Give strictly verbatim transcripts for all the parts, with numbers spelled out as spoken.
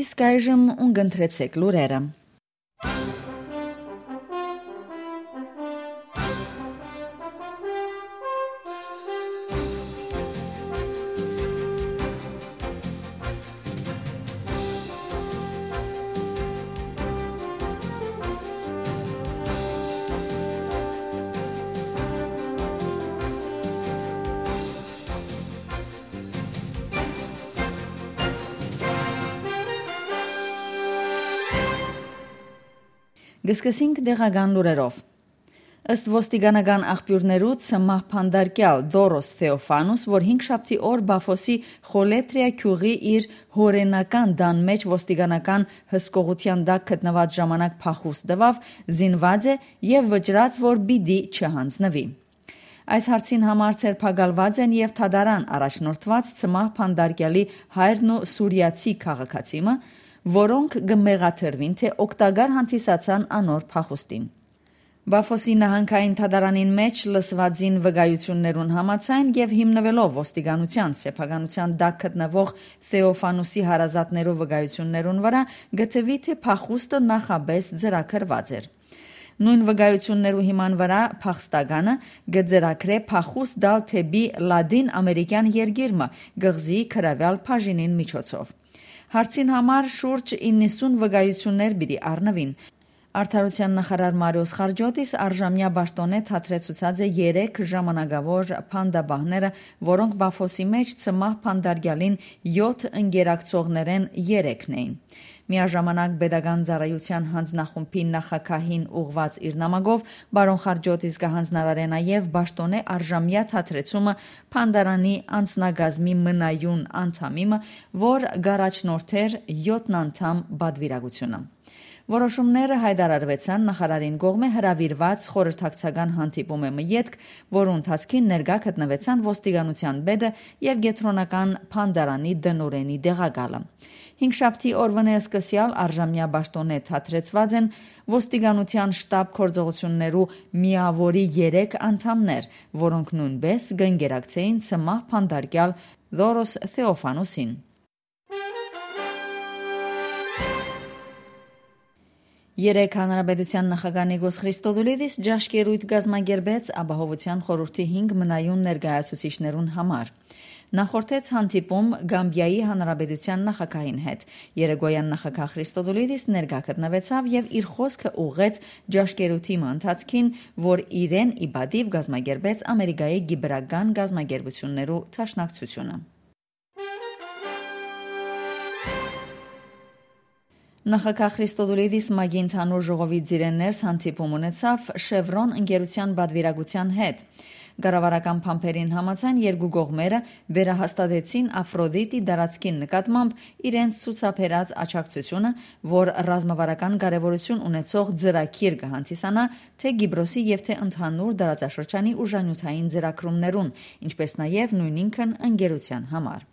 Իսկ այժմ ուն կընտրեցեք լուրերը։ Կը սկսենք տեղական լուրերով։ Ըստ ոստիկանական աղբիւրներու, ցմահ բանտարկեալ Դորոս Թեոֆանուս, որ հինգշաբթի օր Պաֆոսի Խոլեթրիա գիւղի իր հօրենական տան մէջ ոստիկանական հսկողութեան տակ գտնուած ժամանակ փախուստ տուաւ, զինուած է եւ վճռած, որ պիտի չյանձնուի։ Այս հարցին համար ձերբակալուած են եւ դատարան առաջնորդուած ցմահ բանտարկեալի հայրն ու սուրիացի քաղաքացի մը, որոնք կը մեղադրուին, թէ օգտակար հանդիսացան անոր փախուստին։ Պաֆոսի նահանգային դատարանին մէջ լսուածին վկայութիւններուն համաձայն եւ հիմնուելով ոստիկանութեան սեփականութեան տակ գտնուող Թեոֆանուսի հարազատներու վկայութիւններուն վրայ, կը թուի, թէ փախուստը նախապէս ծրագրուած էր։ Նոյն վկայութիւններու հիման վրայ փախստականը կը ծրագրէ փախուստ տալ դէպի Լատին Ամերիկեան երկիր մը՝ կղզիի գրաւեալ բաժինին միջոցով։ Հարցին համար շուրջ իննսուն վկայութիւններ պիտի առնուին։ Արդարութեան նախարար Մարիոս Խարջոտիս առժամեայ պաշտօնէ դադրեցուցած է երեք ժամանակաւոր բանտապահները, որոնք Պաֆոսի մէջ ցմահ բանտարկեալին եօթ ընկերակցողներէն երեքն էին։ Միաժամանակ պետական ծառայութեան յանձնախումբի նախագահին ուղղուած իր նամակով պարոն Խարջոտիս կը յանձնարարէ նաեւ պաշտօնէ առժամեայ դադրեցումը բանտարանի անձնակազմի մնայուն անդամի մը, որ կառաջնորդէր եօթ անդամ պատուիրակութիւնը։ Որոշումները յայտարարուեցան նախարարին կողմէ հրաւիրուած խորհրդակցական հանդիպում մը ետք, որու ընթացքին ներկայ գտնուեցան ոստիկանութեան պետը եւ կեդրոնական բանտարանի տնօրէնի տեղակալը։ Հինգշաբթի օրուընէ սկսեալ առժամեայ պաշտօնէ դադրեցուած են ոստիկանութեան շտաբ գործողութիւններու միաւորի երեք անդամներ, որոնք նոյնպէս կ'ընկերակցէին ցմահ բանտարկեալ Լորոս Թեոֆանուսին։ Երեկ Հանրապետութեան նախագահ Նիկոս Խրիստոդուլիդիս ճաշկերոյթ կազմակերպեց Ապահովութեան խորհուրդի հինգ մնայուն ներկայացուցիչներուն համար։ Նախորդեց հանդիպում Գամբիայի Հանրապետութեան նախագահին հետ։ Երեկոյեան նախագահ Խրիստոդուլիդիս ներկայ գտնուեցաւ եւ իր խօսքը ուղղեց ճաշկերութի մը ընթացքին, որ իրեն ի պատիւ կազմակերպեց Ամերիկայի Կիպրական կազմակերպութիւններու դաշնակցութիւնը։ Նախագահ Խրիստոդուլիդիս ՄԱԿ-ի Ընդհանուր ժողովի ծիրէն ներս հանդիպում ունեցաւ Շեվրոն ընկերութեան պատուիրակութեան հետ։ Կառավարական բանբերին համաձայն, երկու կողմերը վերահաստատեցին افرودیت-ի տարածքին նկատմամբ իրենց ցուցաբերած աջակցութիւնը, որ ռազմավարական կարեւորութիւն ունեցող ծրագիր կը հանդիսանայ թէ Կիպրոսի եւ թէ ընդհանուր տարածաշրջանի ուժանիւթային ծրագրումներուն, ինչպէս նաեւ նոյնինքն ընկերութեան համար։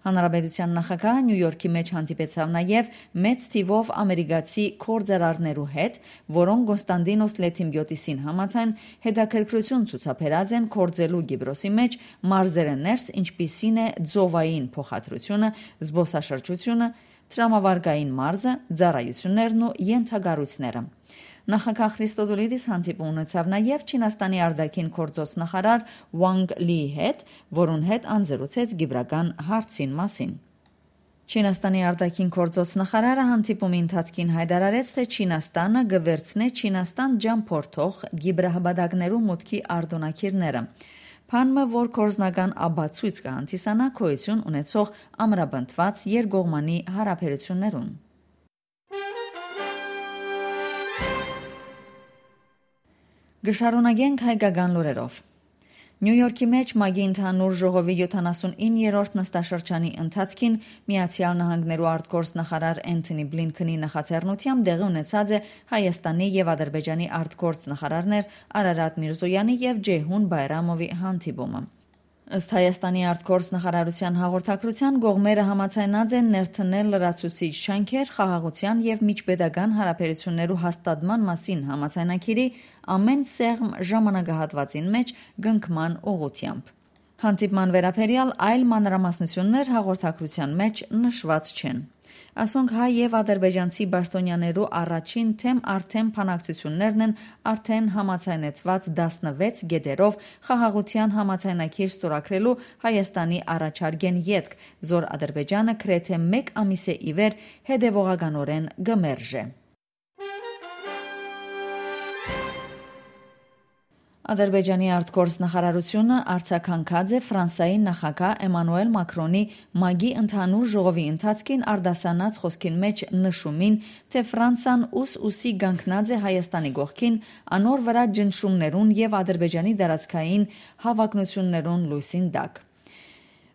Հանրապետութեան նախագահը Նիու Յորքի մէջ հանդիպեցաւ նաեւ մեծ թիւով ամերիկացի գործարարներու հետ, որոնք Կոնստանտինոս Լեթիմպիոտիսին համաձայն հետաքրքրութիւն ցուցաբերած են գործելու Կիպրոսի մէջ մարզերէ ներս, ինչպիսին է ծովային փոխադրութիւնը, զբօսաշրջութիւնը, տրամավարկային մարզը, ծառայութիւններն ու ենթակառոյցները։ Նախագահ Խրիստոդուլիդիս հանդիպում ունեցաւ նաեւ Չինաստանի արտաքին գործոց նախարար Ուանգ Լիի հետ, որուն հետ անզրուցեց կիպրական հարցին մասին։ Չինաստանի արտաքին գործոց նախարարը հանդիպումի ընթացքին յայտարարեց, թէ Չինաստանը կը վերցնէ Չինաստան ճամբորդող կիպրահպատակներու մուտքի արտօնագիրները, բան մը, որ գործնական ապացոյց կը հանդիսանայ գոյութիւն ունեցող ամրապնդուած երկկողմանի հարաբերութիւններուն։ Կը շարունակենք հայկական լուրերով։ Նիու Յորքի մէջ ՄԱԿ-ի Ընդհանուր ժողովի յոթանասունիններորդ նստաշրջանի ընթացքին Միացեալ Նահանգներու արտգործ նախարար Էնթոնի Բլինքենի նախաձեռնությամբ տեղի ունեցած է Հայաստանի եւ Ադրբեջանի արտգործ նախարարներ Արարատ Միրզոյանի եւ Ջեյհուն Բայրամովի հանդիպումը։ Ըստ Հայաստանի արտգործ նախարարութեան հաղորդագրութեան, կողմերը համաձայնած են ներդնել լրացուցիչ ջանքեր խաղաղութեան եւ միջպետական հարաբերութիւններու հաստատման մասին համաձայնագիրի ամէն սեղմ ժամանակահատուածին մէջ կնքման ուղղութեամբ։ Հանդիպման վերաբերեալ այլ մանրամասնութիւններ հաղորդագրութեան մէջ նշուած չեն։ Ասոնք հայ եւ ադրբեջանցի պաշտոնյաներու առաջին թեմ առ թեմ բանակցութիւններն են արդէն համաձայնեցուած տասնվեց կետերով խաղաղութեան համաձայնագիր ստորագրելու Հայաստանի առաջարկէն ետք, զոր Ադրբեջանը գրեթէ մէկ ամիս է ի վեր հետեւողականօրէն կը մերժէ։ Ադրբեջանի արտգործ նախարարութիւնը արձագանքած է Ֆրանսայի նախագահ Էմանուել Մաքրոնի ՄԱԿ-ի ընդհանուր ժողովի ընթացքին արտասանած խօսքին մէջ նշումին, թէ Ֆրանսան ուս-ուսի կանգնած է Հայաստանի կողքին, անոր վրայ ճնշումներուն եւ Ադրբեջանի տարածքային հաւակնութիւններուն լոյսին տակ։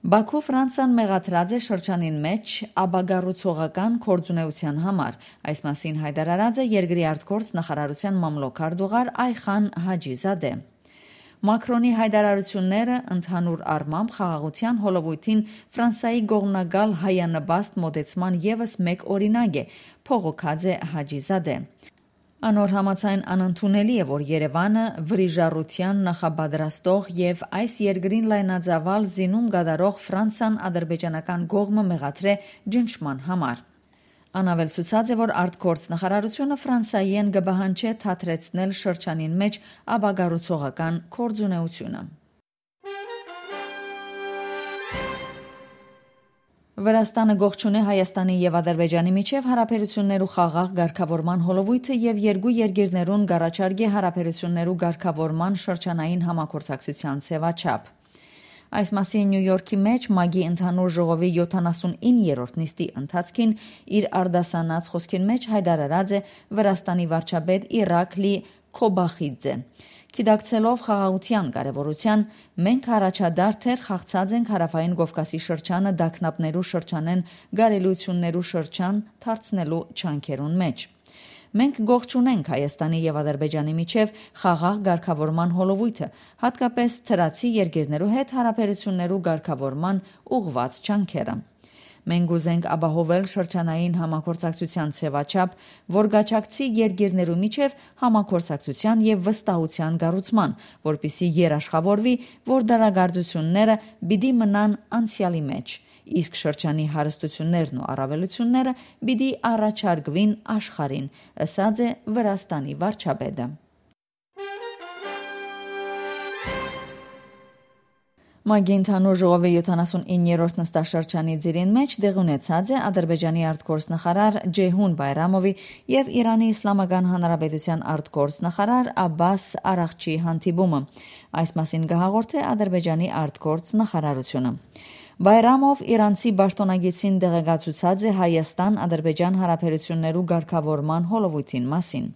Բաքու Ֆրանսան մեղադրած է շրջանին մէջ ապակառուցողական գործունեութեան համար։ Այս մասին յայտարարած է երկրի արտգործ նախարարութեան մամլոյ քարտուղար Այխան Հաճիզադե։ Մաքրոնի յայտարարութիւնները ընդհանուր առմամբ խաղաղութեան հոլովոյթին Ֆրանսայի կողմնակալ հայանպաստ մօտեցման եւս մէկ օրինակ է, բողոքած է Հաճիզադե։ Անոր համաձայն անընդունելի է, որ Երեւանը վրիժառութեան նախապատրաստող եւ այս երկրին լայնածաւալ զինում կատարող Ֆրանսան ադրբեջանական կողմը մեղադրէ ճնշման համար։ Ան աւելցուցած է, որ արտգործ նախարարութիւնը Ֆրանսայէն կը պահանջէ թատրեցնել շրջանին մէջ ապակառուցողական գործունեութիւնը։ Վրաստանը կողջունէ Հայաստանի եւ Ադրբեջանի միջեւ յարաբերութիւններու խաղաղ կարգաւորման հոլովոյթը եւ երկու երկիրներուն կառաջարկէ յարաբերութիւններու կարգաւորման շրջանային համագործակցութեան ձեւաչափ։ Այս մասին Նիու Յորքի մէջ ՄԱԿ-ի ընդհանուր ժողովի յոթանասունիններորդ նիստի ընթացքին իր արտասանած խօսքին մէջ յայտարարած է Վրաստանի վարչապետ Իրակլի Քոբախիձէ։ Գիտակցելով խաղաղութեան կարեւորութեան, մենք առաջադարձ դեռ խաղացած ենք Հարավային Կովկասի շրջանը տագնապներու շրջանէն կարելիություններու շրջան դարձնելու ջանքերուն մէջ։ Մենք կողջունենք Հայաստանի եւ Ադրբեջանի միջեւ խաղաղ կարգաւորման հոլովոյթը, հատկապես դրացի երկիրներու հետ յարաբերութիւններու կարգաւորման ուղղուած ջանքերը։ Մենք կ'ուզենք ապահովել շրջանային համագործակցութեան ձեւաչափ, որ կ'աջակցի երկիրներու միջեւ համագործակցութեան եւ վստահութեան կառուցման, որպեսզի երաշխաւորուի, որ դարակարծութիւնները պիտի մնան անցեալի մէջ, իսկ շրջանի հարստութիւններն ու առավելութիւնները պիտի առաջարկուին աշխարհին, ըսած է Վրաստանի վարչապետը։ ՄԱԿ-ի ընդհանուր ժողովի յոթանասունիններորդ նստաշրջանի ծիրին մէջ տեղի ունեցած է Ադրբեջանի արտգործ նախարար Ջեյհուն Բայրամովի եւ Իրանի Իսլամական Հանրապետութեան արտգործ նախարար Աբբաս Արաղչի հանդիպումը։ Այս մասին կը հաղորդէ Ադրբեջանի արտգործ նախարարութիւնը։ Բայրամով իրանցի պաշտօնակիցին տեղեկացուցած է Հայաստան-Ադրբեջան յարաբերութիւններու կարգաւորման հոլովոյթին մասին։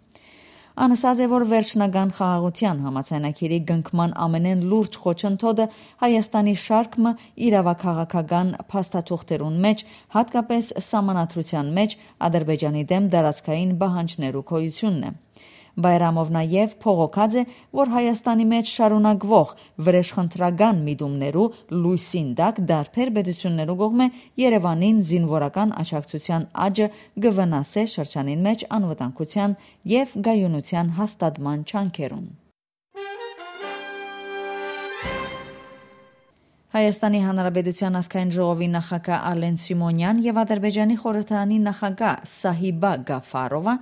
Ան ըսած է, որ վերջնական խաղաղութեան համաձայնագիրի կնքման ամենէն լուրջ խոչընդոտը Հայաստանի շարք մը իրաւաքաղաքական փաստաթուղթերուն մէջ, հատկապես սահմանադրութեան մէջ Ադրբեջանի դէմ տարածքային պահանջներու գոյութիւնն է։ Բայրամով նաեւ բողոքած է, որ Հայաստանի մէջ շարունակուող վրեժխնդրական միտումներու լոյսին տակ տարբեր պետութիւններու կողմէ Երեւանին զինուորական աջակցութեան աճը կը վնասէ շրջանին մէջ անվտանգութեան եւ կայունութեան հաստատման ջանքերուն։ Հայաստանի Հանրապետութեան ազգային ժողովի նախագահ Ալեն Սիմոնեան եւ Ադրբեջանի խորհրդարանի նախագահ Սահիբա Գաֆարովա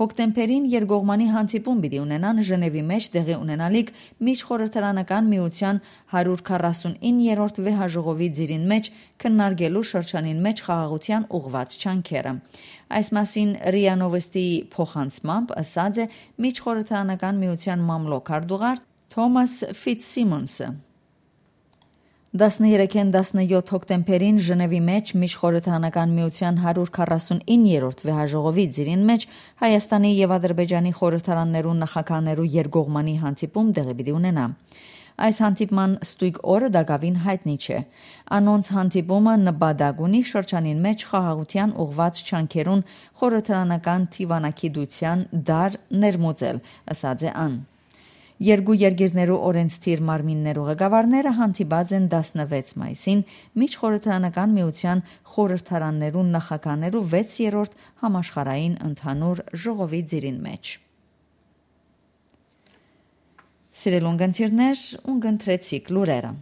հոկտեմբերին երկկողմանի հանդիպում պիտի ունենան Ժնեւի մէջ տեղի ունենալիք Միջխորհրդարանական միութեան հարիւր քառասունիններորդ վեհաժողովի ծիրին մէջ քննարկելու շրջանին մէջ խաղաղութեան ուղղուած ջանքերը։ Այս մասին րիա Նովոստիի փոխանցմամբ ըսած է Միջխորհրդարանական միութեան մամլոյ քարտուղար Թոմաս Ֆիցսիմոնսը։ Տասներեքէն տասնեօթ հոկտեմբերին Ժնեւի մէջ Միջխորհրդարանական միութեան հարիւր քառասունիններորդ վեհաժողովի ծիրին մէջ Հայաստանի եւ Ադրբեջանի խորհրդարաններու նախագահներու երկկողմանի հանդիպում տեղի պիտի ունենայ։ Այս հանդիպման ստոյգ օրը տակաւին յայտնի չէ։ Անոնց հանդիպումը նպատակ ունի շրջանին մէջ խաղաղութեան ուղղուած ջանքերուն խորհրդարանական դիւանագիտութեան դար ներմուծել, ըսած է ան։ Երկու երկիրներու օրենսդիր մարմիններու ղեկավարները հանդիպած են տասնվեց մայիսին Միջխորհրդարանական միութեան խորհրդարաններու նախագահներու վեցերորդ համաշխարհային ընդհանուր ժողովի ծիրին մէջ։ Սիրելի ունգընտիրներ, ունգընտրեցիք լուրերը։